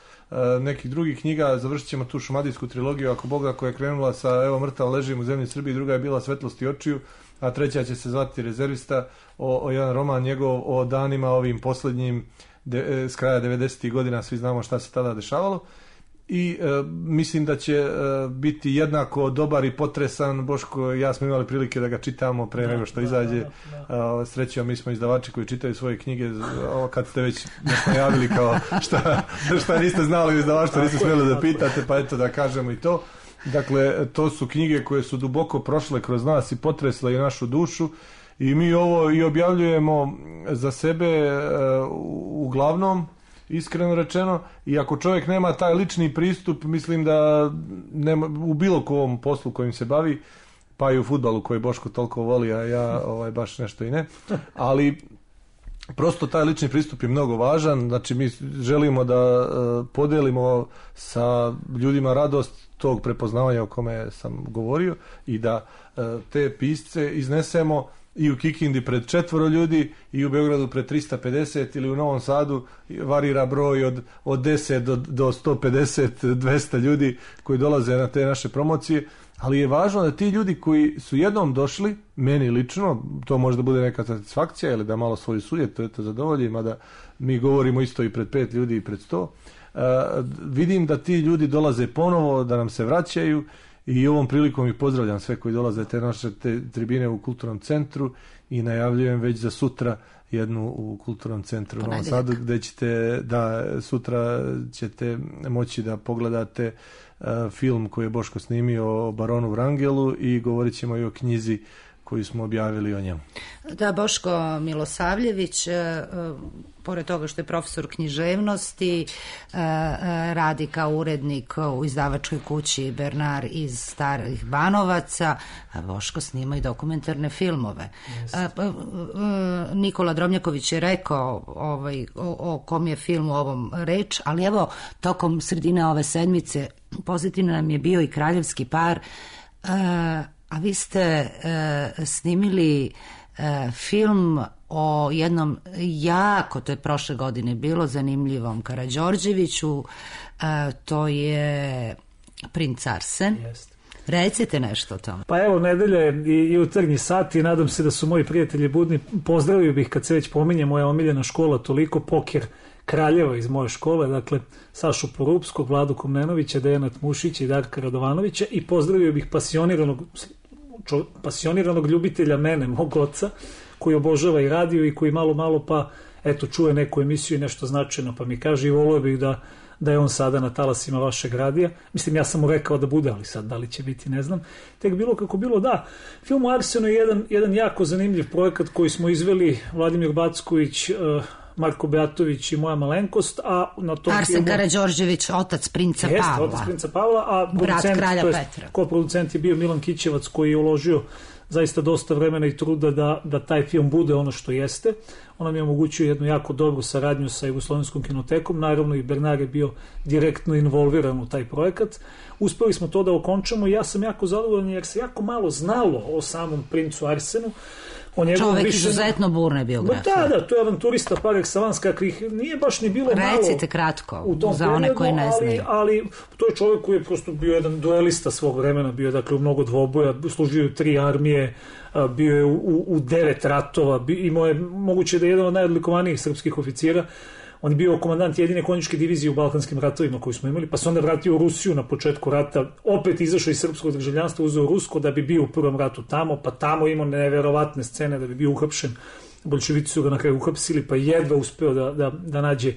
nekih drugih knjiga. Završit ćemo tu šumadijsku trilogiju, ako Boga, koja je krenula sa Evo mrtav ležim u zemlji Srbiji, druga je bila Svetlosti očiju, a treća će se zvati Rezervista, o jedan roman njegov o danima ovim posljednjim s kraja 90. godina, svi znamo šta se tada dešavalo. I mislim da će biti jednako dobar i potresan. Boško i ja smo imali prilike da ga čitamo pre nego što izađe. Srećom, mi smo izdavači koji čitaju svoje knjige. Kad ste već nešto javili kao šta niste znali u izdavaštvu, niste smjeli da pitate, pa eto da kažemo i to. Dakle, to su knjige koje su duboko prošle kroz nas i potresle i našu dušu. I mi ovo i objavljujemo za sebe uglavnom, iskreno rečeno, i ako čovjek nema taj lični pristup, mislim da nema, u bilo kom poslu kojim se bavi, pa i u fudbalu koji Boško toliko voli, a ja baš nešto i ne, ali prosto taj lični pristup je mnogo važan. Znači mi želimo da podelimo sa ljudima radost tog prepoznavanja o kome sam govorio i da te pisce iznesemo i u Kikindi pred 4 ljudi i u Beogradu pred 350 ili u Novom Sadu varira broj od 10 do 150, 200 ljudi koji dolaze na te naše promocije, ali je važno da ti ljudi koji su jednom došli, meni lično, to može da bude neka satisfakcija ili da malo svoju sujet, to je to zadovolji, mada mi govorimo isto i pred 5 ljudi i pred 100, vidim da ti ljudi dolaze ponovo, da nam se vraćaju. I ovom prilikom i pozdravljam sve koji dolaze te naše tribine u Kulturnom centru i najavljujem već za sutra jednu u Kulturnom centru u Novom Sadu, gde ćete, sutra ćete moći da pogledate film koji je Boško snimio o baronu Vrangelu i govorit ćemo i o knjizi koju smo objavili o njemu. Da, Boško Milosavljević, pored toga što je profesor književnosti, radi kao urednik u izdavačkoj kući Bernard iz Starih Banovaca, a Boško snima i dokumentarne filmove. Nikola Drobnjaković je rekao o kom je filmu ovom reč, ali evo, tokom sredine ove sedmice pozitivno nam je bio i Kraljevski par, a vi ste snimili film o jednom jako, to je prošle godine bilo, zanimljivom Karađorđeviću, to je Princ Arsen. Jeste. Recite nešto o tome. Pa evo, nedelja je i jutarnji sat i nadam se da su moji prijatelji budni. Pozdravio bih, kad se već pominje moja omiljena škola, toliko Poker Kraljeva iz moje škole, dakle Sašu Porupskog, Vladu Komnenovića, Dejana Tmušića i Darka Radovanovića, i pozdravio bih pasioniranog ljubitelja mene, mog oca, koji obožava i radio i koji malo pa eto čuje neku emisiju i nešto značajno, pa mi kaže i volio bih da je on sada na talasima vašeg radija. Mislim, ja sam mu rekao da bude, ali sad da li će biti, ne znam. Tek bilo kako bilo, da. Film o Arsenu je jedan jako zanimljiv projekat koji smo izveli Vladimir Backović, Marko Beatović i moja malenkost, a na tom Arsen filmu... Karađorđević, otac princa Pavla. Otac princa Pavla, a brat kralja Petra. Koproducent je bio Milan Kićevac, koji je uložio zaista dosta vremena i truda da taj film bude ono što jeste. On nam je omogućio jednu jako dobru saradnju sa Jugoslovenskom kinotekom, naravno i Bernard je bio direktno involviran u taj projekat. Uspeli smo to da okončamo i ja sam jako zadovoljan jer se jako malo znalo o samom princu Arsenu. Čovek izuzetno burne biografije. Da, to je avanturista par excellence, kakvih nije baš ni bilo malo. Recite kratko, za one koji ne znaju. Ali to je čovjek koji je prosto bio jedan duelista svog vremena, bio dakle u mnogo dvoboja, služio u 3 armije, bio je u 9 ratova, imao je moguće da je jedan od najodlikovanijih srpskih oficira. On je bio komandant jedine konjičke divizije u Balkanskim ratovima koji smo imali, pa se onda vratio u Rusiju na početku rata, opet izašao iz srpskog državljanstva, uzeo rusko da bi bio u prvom ratu tamo, pa tamo imao neverovatne scene da bi bio uhapšen. Bolševici su ga na kraju uhapsili, pa jedva uspeo da nađe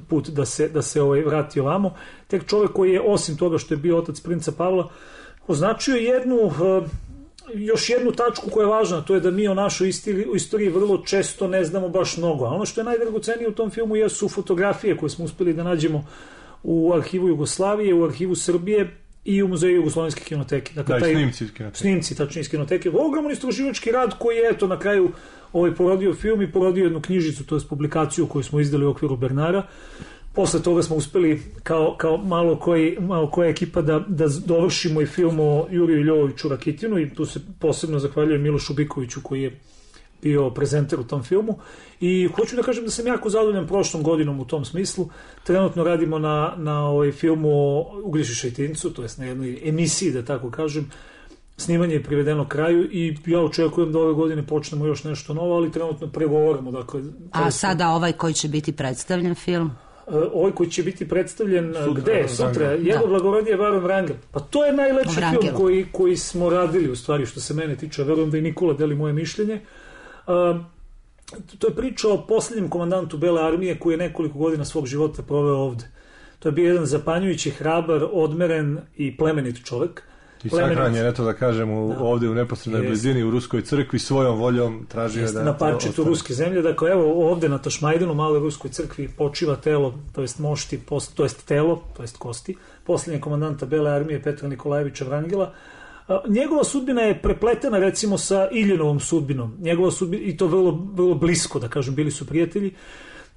put da se vrati ovamo. Tek čovjek koji je, osim toga što je bio otac princa Pavla, označio još jednu tačku koja je važna, to je da mi o našoj istoriji vrlo često ne znamo baš mnogo. A ono što je najdragocenije u tom filmu jesu fotografije koje smo uspeli da nađemo u arhivu Jugoslavije, u arhivu Srbije i u muzeju Jugoslovenske kinoteke. Dakle, snimci, tačnije iz kinoteke. Ogroman istraživački rad koji je na kraju porodio film i porodio jednu knjižicu, to je publikaciju koju smo izdali u okviru Bernara. Posle toga smo uspeli kao malo koja ekipa da dovršimo i film o Juriju Ljovoviću Rakitinu i tu se posebno zahvaljujem Milošu Bikoviću koji je bio prezenter u tom filmu i hoću da kažem da sam jako zadovoljan prošlom godinom u tom smislu. Trenutno radimo na filmu o Uglješi Šajtincu, to jest na jednoj emisiji, da tako kažem. Snimanje je privedeno kraju i ja očekujem da ove godine počnemo još nešto novo, ali trenutno pregovaramo. Dakle, a sada ovaj koji će biti predstavljen film? Ovaj koji će biti predstavljen sutra, Jego blagorodije Baron Vrangel. Pa to je najlepši film koji smo radili, u stvari, što se mene tiče. Verujem da i Nikola deli moje mišljenje. To je priča o posljednjem komandantu Bele armije koji je nekoliko godina svog života proveo ovde. To je bio jedan zapanjujući, hrabar, odmeren i plemenit čovek. I sahranjen, eto da kažem, ovdje u neposrednoj blizini u Ruskoj crkvi, svojom voljom tražio da... Na parčetu ruske zemlje, dakle evo ovdje na Tašmajdanu, maloj Ruskoj crkvi, počiva telo, to jest mošti, to jest telo, to jest kosti, posljednjeg komandanta Bele armije Petra Nikolajevića Vrangela. Njegova sudbina je prepletena recimo sa Iljinovom sudbinom, njegova sudbina, i to vrlo blisko, da kažem, bili su prijatelji.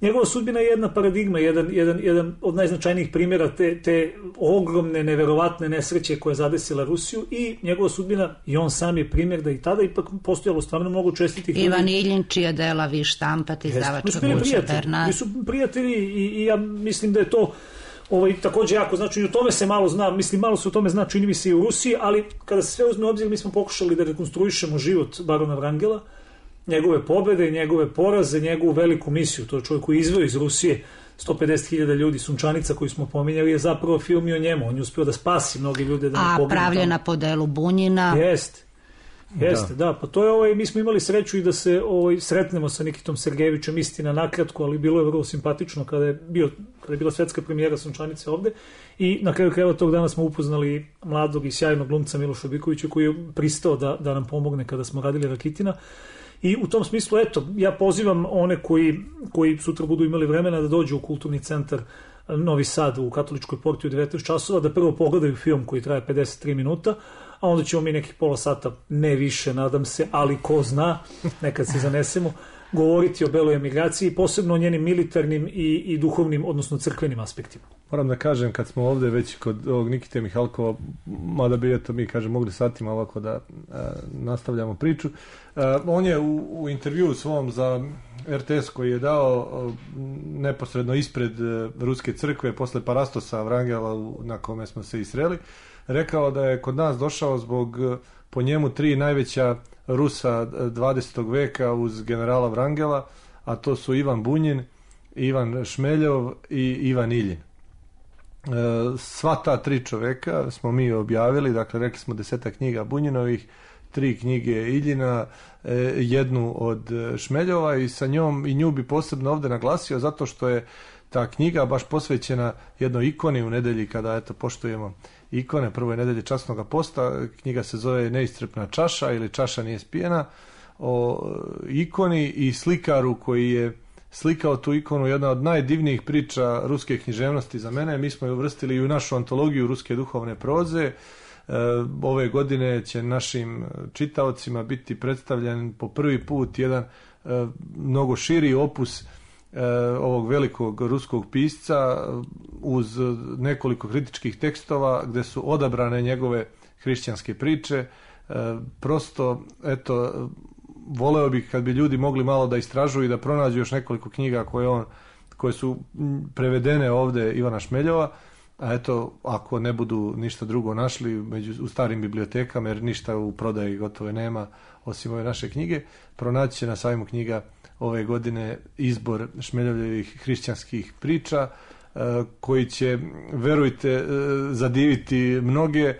Njegova sudbina je jedna paradigma, jedan od najznačajnijih primjera te ogromne, neverovatne nesreće koja je zadesila Rusiju, i njegova sudbina, i on sam je primjer da i tada ipak postojalo stvarno mnogo čestitih ljudi. Ivan Iljin, čija dela vi štampate, izdavačka kuća Bernard. Mi su prijatelji i ja mislim da je to također jako znači, i o tome se malo zna, mislim malo se o tome zna, čini mi se i u Rusiji, ali kada se sve uzme u obzir, mi smo pokušali da rekonstruišemo život barona Vrangela, njegove pobjede, njegove poraze, njegovu veliku misiju. To je čovjek koji izveo iz Rusije 150.000 ljudi, Sunčanica koju smo pominjali je zapravo film i o njemu. On je uspio da spasi mnogi ljude. Da pravljena po delu Bunjina. Jeste, da. Pa to je, mi smo imali sreću i da se sretnemo sa Nikitom Sergejevićem, istina nakratko, ali bilo je vrlo simpatično kada je bila svetska premijera Sunčanice ovde, i na kraju krajeva tog dana smo upoznali mladog i sjajnog glumca Miloša Bikovića, koji je pristao da nam pomogne kada smo radili Rakitina. I u tom smislu, eto, ja pozivam one koji sutra budu imali vremena da dođu u kulturni centar Novi Sad u Katoličkoj porti u 19 časova, da prvo pogledaju film koji traje 53 minuta, a onda ćemo mi nekih pola sata, ne više, nadam se, ali ko zna, nekad se zanesemo, govoriti o beloj emigraciji, posebno o njenim militarnim i duhovnim, odnosno crkvenim aspektima. Moram da kažem, kad smo ovdje već kod ovog Nikite Mihalkova, mada bi eto mi kažem mogli satima ovako da nastavljamo priču, on je u intervjuu svom za RTS koji je dao neposredno ispred Ruske crkve posle Parastosa Vrangela na kome smo se isreli, rekao da je kod nas došao zbog po njemu 3 najveća Rusa 20. veka uz generala Vrangela, a to su Ivan Bunjin, Ivan Šmeljov i Ivan Iljin. Sva ta 3 čoveka smo mi objavili, dakle rekli smo 10 knjiga Bunjinovih, 3 knjige Iljina, jednu od Šmeljova, i sa njom i nju bi posebno ovdje naglasio zato što je ta knjiga baš posvećena jednoj ikoni u nedelji kada eto poštujemo ikone, prvoj nedelji časnog posta. Knjiga se zove Neiscrpna čaša ili Čaša nije spijena, o ikoni i slikaru koji je slikao tu ikonu, jedna od najdivnijih priča ruske književnosti za mene. Mi smo je uvrstili i u našu antologiju ruske duhovne proze. Ove godine će našim čitaocima biti predstavljen po prvi put jedan mnogo širi opus ovog velikog ruskog pisca uz nekoliko kritičkih tekstova gdje su odabrane njegove hrišćanske priče. Prosto, eto, voleo bih kad bi ljudi mogli malo da istražuju i da pronađu još nekoliko knjiga koje su prevedene ovdje Ivana Šmeljova, a eto, ako ne budu ništa drugo našli u starim bibliotekama, jer ništa u prodaji gotovo nema osim ove naše knjige, pronaći će na sajmu knjiga ove godine izbor Šmeljovljevih hrišćanskih priča koji će, verujte, zadiviti mnoge.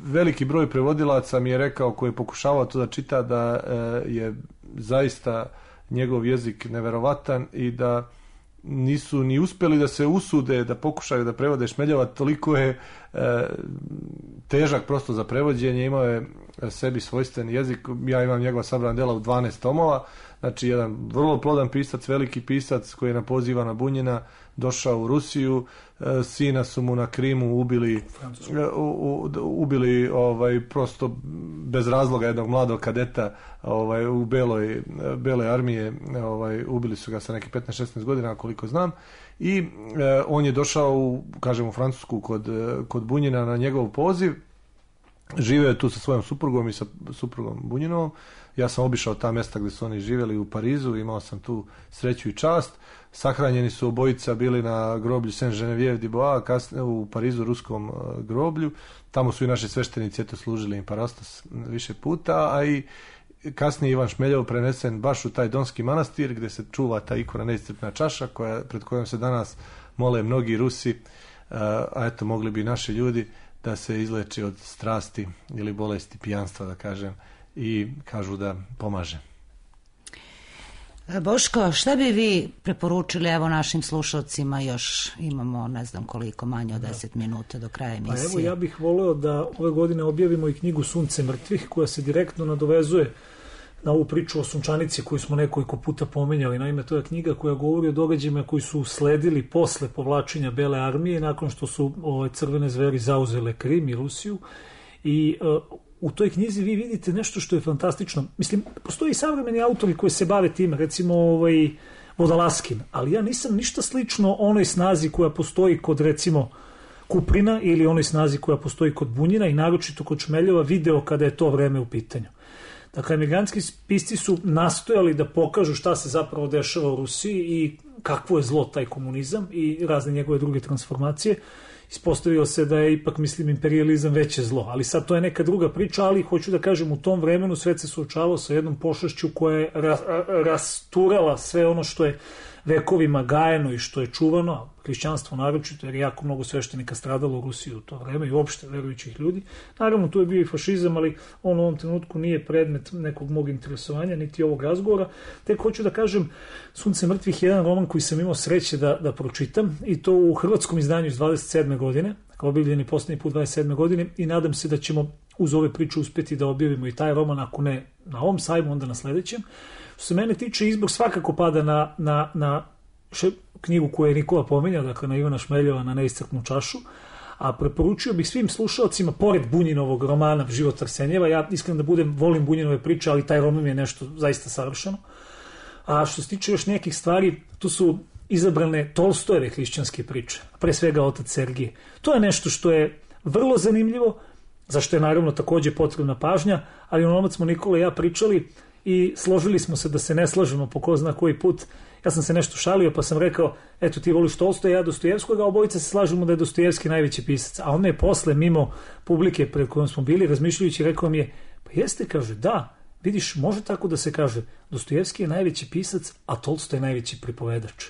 Veliki broj prevodilaca mi je rekao, koji je pokušavao to da čita, da je zaista njegov jezik neverovatan i da nisu ni uspjeli da se usude da pokušaju da prevode Šmeljova, toliko je težak prosto za prevođenje, imao je sebi svojstven jezik. Ja imam njegova sabrana dela u 12 tomova, znači jedan vrlo plodan pisac, veliki pisac koji je na poziv Ivana Bunjina došao u Rusiju, sina su mu na Krimu ubili prosto bez razloga jednog mladog kadeta u beloj armije, ubili su ga sa nekih 15-16 godina koliko znam, i on je došao u Francusku kod Bunjina na njegov poziv, živeo je tu sa svojom suprugom i sa suprugom Bunjinovom. Ja sam obišao ta mjesta gdje su oni živjeli u Parizu, imao sam tu sreću i čast. Sahranjeni su obojica bili na groblju Saint-Geneviève-du-Bois, kasnije u Parizu, ruskom groblju. Tamo su i naši sveštenici služili im Parastos više puta, a i kasnije Ivan Šmeljov prenesen baš u taj Donski manastir gdje se čuva ta ikona Neiscrpna čaša pred kojom se danas mole mnogi Rusi, a eto mogli bi naši ljudi da se izleči od strasti ili bolesti pijanstva, da kažem, i kažu da pomaže. Boško, šta bi vi preporučili evo našim slušalcima, još imamo ne znam koliko, manje od 10 minuta do kraja emisije. Pa evo, ja bih voleo da ove godine objavimo i knjigu Sunce mrtvih, koja se direktno nadovezuje na ovu priču o Sunčanici koju smo nekoliko puta pomenjali. Naime, to je knjiga koja govori o događajima koji su sledili posle povlačenja Bele armije, nakon što su crvene zveri zauzele Krim i Rusiju. I u toj knjizi vi vidite nešto što je fantastično. Mislim, postoji i savremeni autori koji se bave tim, recimo Vodalaskin, ali ja nisam ništa slično onoj snazi koja postoji kod, recimo, Kuprina ili onoj snazi koja postoji kod Bunjina i naročito kod Šmeljova video kada je to vreme u pitanju. Dakle, emigrantski pisci su nastojali da pokažu šta se zapravo dešava u Rusiji i kakvo je zlo taj komunizam i razne njegove druge transformacije. Ispostavilo se da je ipak, mislim, imperijalizam veće zlo, ali sad to je neka druga priča, ali hoću da kažem, u tom vremenu svet se suočavao sa jednom pošašću koja je rasturala sve ono što je vekovima gajeno i što je čuvano, hrišćanstvo naročito, jer je jako mnogo sveštenika stradalo u Rusiji u to vreme i uopšte verujućih ljudi. Naravno, tu je bio i fašizam, ali on u ovom trenutku nije predmet nekog mog interesovanja, niti ovog razgovora. Tek hoću da kažem, Sunce mrtvih je jedan roman koji sam imao sreće da pročitam, i to u hrvatskom izdanju iz 27. godine, dakle objavljeni poslednji put 27. godine, i nadam se da ćemo uz ove priče uspeti da objavimo i taj roman, ako ne na ovom sajmu, onda na sledećem. Što se mene tiče, izbor svakako pada na knjigu koju je Nikola pomenjao, dakle na Ivana Šmeljova, Na neiscrpnu čašu, a preporučio bih svim slušalcima, pored Bunjinovog romana Život Arsenjeva, ja iskreno da budem, volim Bunjinove priče, ali taj roman je nešto zaista savršeno. A što se tiče još nekih stvari, tu su izabrane Tolstojeve hrišćanske priče, pre svega Otac Sergije. To je nešto što je vrlo zanimljivo, zašto je naravno takođe potrebna pažnja, ali onomad smo Nikola i ja pričali i složili smo se da se ne slažemo po ko zna koji put. Ja sam se nešto šalio pa sam rekao, eto ti voliš Tolstoja, ja Dostojevskog, a obojica se slažemo da je Dostojevski najveći pisac. A on me je posle, mimo publike pred kojom smo bili, razmišljajući, rekao mi je, pa jeste, kaže, da, vidiš, može tako da se kaže, Dostojevski je najveći pisac, a Tolstoj je najveći pripovedač.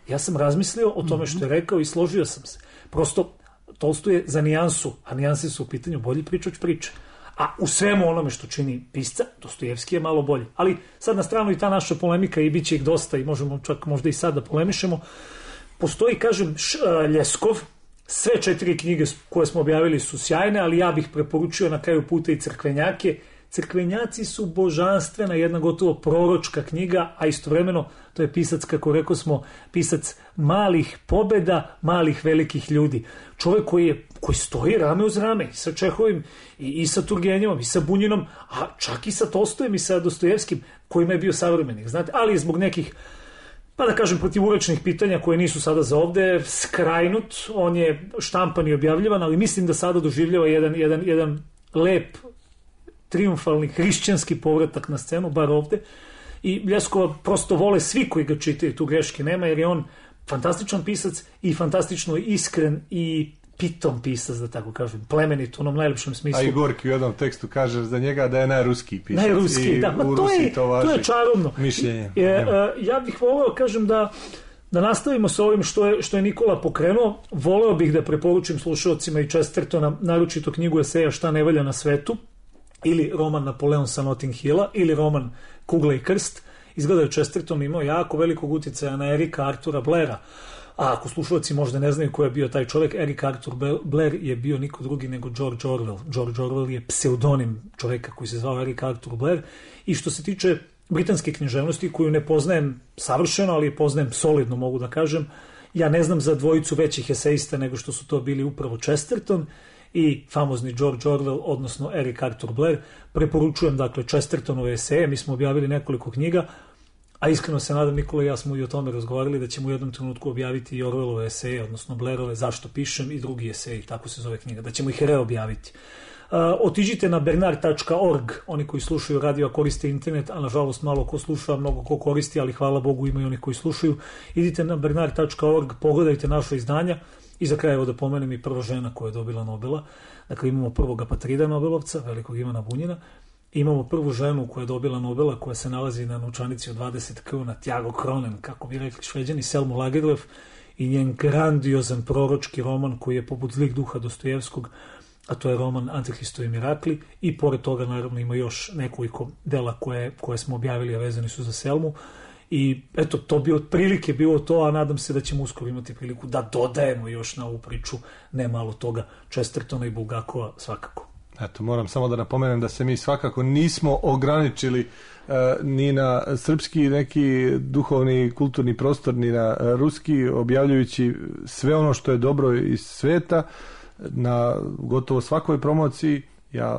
Ja sam razmislio o tome što je rekao i složio sam se. Prosto, Tolstoj je za nijansu, a nijanse su u pitanju bolji pričač priče. A u svemu onome što čini pisca, Dostojevski je malo bolji. Ali sad na stranu i ta naša polemika, i bit će ih dosta i možemo čak možda i sad da polemišemo. Postoji, kažem, Ljeskov, sve 4 knjige koje smo objavili su sjajne, ali ja bih preporučio na kraju puta i Crkvenjake. Crkvenjaci su božanstvena, jedna gotovo proročka knjiga, a istovremeno to je pisac, kako rekao smo, pisac malih pobeda, malih velikih ljudi. Čovjek koji stoji rame uz rame i sa Čehovim i sa Turgenjevom i sa Bunjinom, a čak i sa Tolstojem i sa Dostojevskim, kojima je bio savremenik, znate, ali zbog nekih, pa da kažem, protivurečnih pitanja koje nisu sada za ovde, skrajnut, on je štampan i objavljivan, ali mislim da sada doživljava jedan lep, triumfalni hrišćanski povratak na scenu, bar ovde, i Ljeskova prosto vole svi koji ga čitaju, tu greške nema, jer je on fantastičan pisac i fantastično iskren i pitom pisac, da tako kažem, plemenit u onom najlepšem smislu. A i Gorki u jednom tekstu kaže za njega da je najruskiji pisac. Najruskiji, da, ma to je čarobno. Mišljenje. Ja bih voleo, kažem, da nastavimo sa ovim što je Nikola pokrenuo. Voleo bih da preporučim slušalcima i Chestertona, naročito knjigu eseja Šta ne valja na svetu, ili roman Napoleon sa Notting Hilla, ili roman Kugla i krst. Izgleda je Chesterton imao jako velikog utjecaja na Erika Artura Blaira. A ako slušalci možda ne znaju ko je bio taj čovjek, Erik Arthur Blair je bio niko drugi nego George Orwell. George Orwell je pseudonim čovjeka koji se zvao Erik Arthur Blair. I što se tiče britanske književnosti, koju ne poznajem savršeno, ali poznajem solidno, mogu da kažem, ja ne znam za dvojicu većih eseista nego što su to bili upravo Chesterton i famozni George Orwell, odnosno Erik Arthur Blair. Preporučujem, dakle, Chestertonove eseje. Mi smo objavili nekoliko knjiga, a iskreno se nadam, Nikola i ja smo i o tome razgovarali, da ćemo u jednom trenutku objaviti i Orwellove eseje, odnosno Blairove Zašto pišem i drugi eseji, tako se zove knjiga, da ćemo ih reobjaviti. Otiđite na bernard.org, oni koji slušaju radio koriste internet, a nažalost malo ko sluša, mnogo ko koristi, ali hvala Bogu ima i oni koji slušaju. Idite na bernard.org, pogledajte naše izdanja. I za kraj, evo da pomenem i prva žena koja je dobila Nobela. Dakle, imamo prvog Apatrida Nobelovca, velikog Ivana Bunjina. Imamo prvu ženu koja je dobila Nobela, koja se nalazi na novčanici od 20 kruna, Tjago Kronen, kako bi rekli Šveđani, Selmu Lagerlöf, i njen grandiozan proročki roman koji je poput Zlih duha Dostojevskog, a to je roman Antihristovi mirakli, i pored toga naravno ima još nekoliko dela koje smo objavili, a vezani su za Selmu. I eto, to bi otprilike bilo to, a nadam se da ćemo uskoro imati priliku da dodajemo još na ovu priču ne malo toga, Chestertona i Bulgakova svakako. Eto, moram samo da napomenem da se mi svakako nismo ograničili ni na srpski neki duhovni kulturni prostor, ni na ruski, objavljujući sve ono što je dobro iz sveta. Na gotovo svakoj promociji ja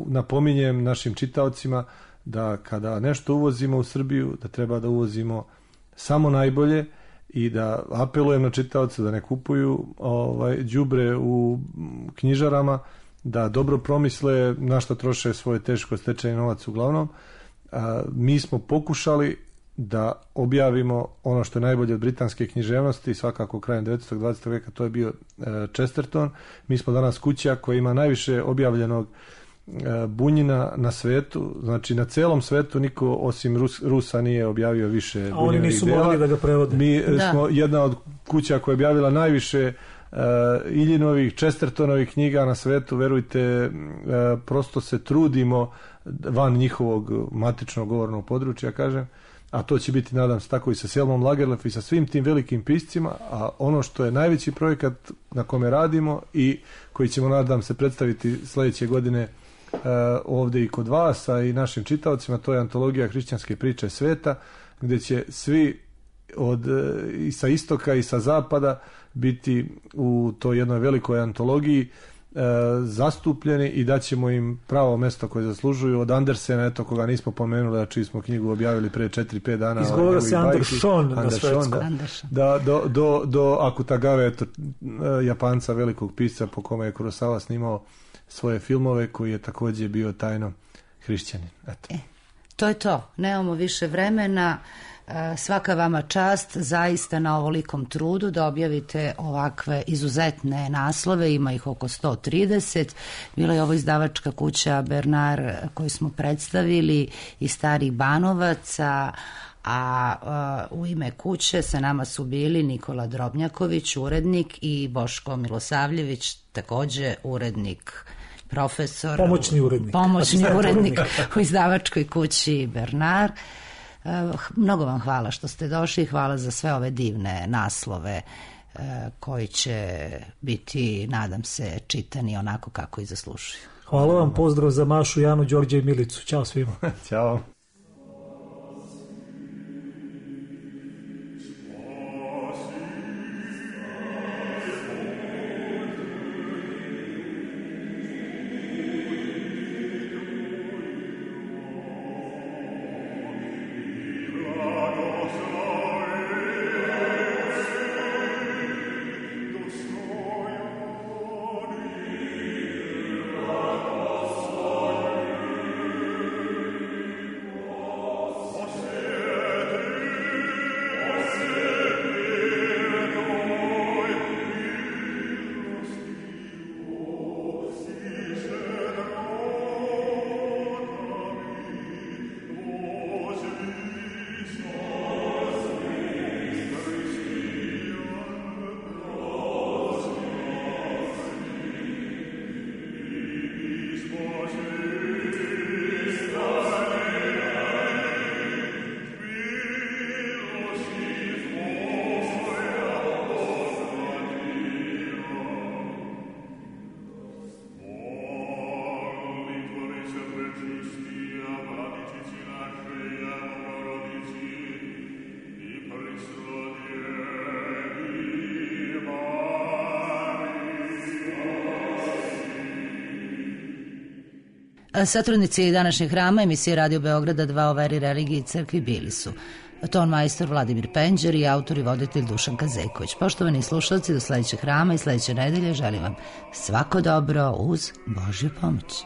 napominjem našim čitaocima da kada nešto uvozimo u Srbiju, da treba da uvozimo samo najbolje i da apelujem na čitaoce da ne kupuju đubre u knjižarama, da dobro promisle na što troše svoj teško stečeni novac uglavnom. Mi smo pokušali da objavimo ono što je najbolje od britanske književnosti, svakako krajem 19. 20. veka to je bio Chesterton. Mi smo danas kuća koja ima najviše objavljenog Bunjina na svetu, znači na celom svetu niko osim Rusa nije objavio više Bunjinovih dela. A oni nisu mogli da ga prevode. Mi smo jedna od kuća koja je objavila najviše Iljinovih, Chestertonovih knjiga na svetu, verujte, prosto se trudimo van njihovog matičnog govornog područja, kažem, a to će biti, nadam se, tako i sa Selmom Lagerlöf i sa svim tim velikim piscima, a ono što je najveći projekat na kome radimo i koji ćemo, nadam se, predstaviti sledeće godine ovde i kod vas, a i našim čitaocima, to je antologija hrišćanske priče sveta, gde će svi i sa istoka i sa zapada biti u toj jednoj velikoj antologiji zastupljeni i daćemo im pravo mesto koje zaslužuju. Od Andersena, eto, koga nismo pomenuli, a čiji smo knjigu objavili pre 4-5 dana. Izgovara se Anderson na švedskom. Do Akutagave, eto, Japanca, velikog pisca po kome je Kurosawa snimao svoje filmove, koji je takođe bio tajno hrišćanin. Eto. To je to. Nemamo više vremena. Svaka vama čast zaista na ovolikom trudu da objavite ovakve izuzetne naslove, ima ih oko 130. Bila je ovo izdavačka kuća Bernard koju smo predstavili iz Starih Banovaca, a u ime kuće sa nama su bili Nikola Drobnjaković, urednik, i Boško Milosavljević, takođe urednik, profesor, pomoćni urednik u izdavačkoj kući Bernard. Mnogo vam hvala što ste došli, hvala za sve ove divne naslove koji će biti, nadam se, čitani onako kako i zaslužuju. Hvala vam, pozdrav za Mašu, Janu, Đorđe i Milicu. Ćao svima. Ćao. Satrudnici današnjeg hrama emisije Radio Beograda 2 o veri, religiji i crkvi bili su ton majstor Vladimir Penđer i autor i voditelj Dušan Kazeković. Poštovani slušalci, do sledećeg hrama i sledeće nedelje želim vam svako dobro uz Božju pomoć.